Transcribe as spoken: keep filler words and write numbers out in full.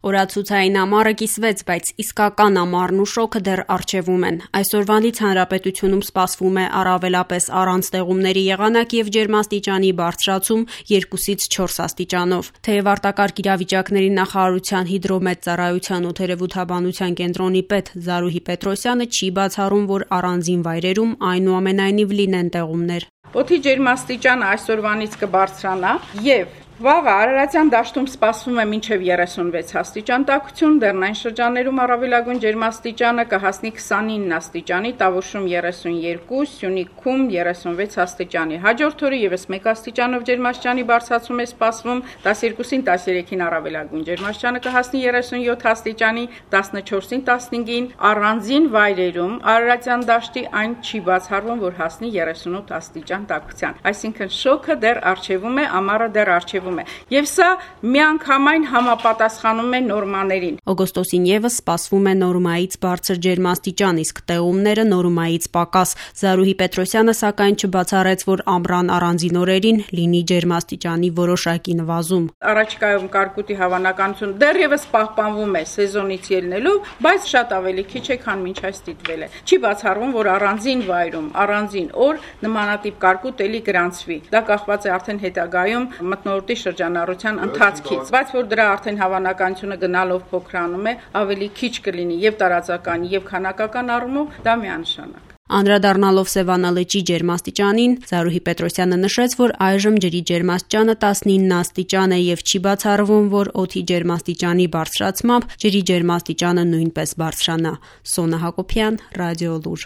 Օրացուցային ամառը կիսվեց, բայց իսկական ամառն ու շոգը դեռ առջևում են։ Այսօրվանից հանրապետությունում սպասվում է առավելապես առանց ձեղումների եղանակ եւ ջերմաստիճանի բարձրացում երկուսից չորս աստիճանով։ Թեև արտակարգ իրավիճակների նախարարության հիդրոմետծառայության օդերևութաբանության կենտրոնի պետ Զարուհի Պետրոսյանը չի բացառում, որ առանձին վայրերում այնուամենայնիվ լինեն ձեղումներ։ Օդի ջերմաստիճանը այսօրվանից կբարձրանա եւ վաղը Արարատյան դաշտում սպասվում է մինչև երեսունվեց աստիճան տաքություն, դեռնային շրջաններում առավելագույն ջերմաստիճանը կհասնի քսանինը աստիճանի, Տավուշում երեսունյոթ, Սյունիքում երեսունվեց աստիճանի։ Հաջորդ օրը եւս մեկ աստիճանով ջերմաստիճանի բարձրացում է սպասվում, տասներկուսին տասներեքին առավելագույն ջերմաստիճանը կհասնի երեսունյոթ աստիճանի, տասնչորսին տասնհինգին առանձին վայրերում Արարատյան դաշտի այն չի բացառվում, որ հասնի երեսունութ աստիճան տաքության։ Այսինքն շոգը դեռ առջևում է, ամառը դեռ առջևում Եվ սա միանգամայն համապատասխանում է նորմաներին։ Օգոստոսին եւս սպասվում է նորմայից բարձր ջերմաստիճան, իսկ տեղումները նորմայից պակաս։ Զարուհի Պետրոսյանը սակայն չբացառեց, որ ամռան առանձին օրերին լինի ջերմաստիճանի որոշակի նվազում։ Առաջիկայում կարկուտի հավանականություն դեռևս պահպանվում է սեզոնից ելնելով, բայց շատ ավելի քիչ է, քան մինչ այս դիտվել է։ Չի բացառվում, որ առանձին վայրում, առանձին օր նմանատիպ կարկուտ էլի գրանցվի։ Դա կախված է արդեն հետագայում մթնոլորտի շրջանառության ընթացքից, բայց որ դրա արդեն հավանականությունը գնալով փոքրանում է, ավելի քիչ կլինի եւ տարածական եւ քանակական առումով, դա միանշանակ։ Անդրադառնալով Սևանա լճի ջերմաստիճանին, Զարուհի Պետրոսյանը նշեց, որ այժմ ջրի ջերմաստիճանը տասնինը աստիճան է եւ չի բացառվում, որ օդի ջերմաստիճանի բարձրացմամբ ջրի ջերմաստիճանը նույնպես բարձրանա։ Սոնա Հակոբյան, Ռադիոլուր։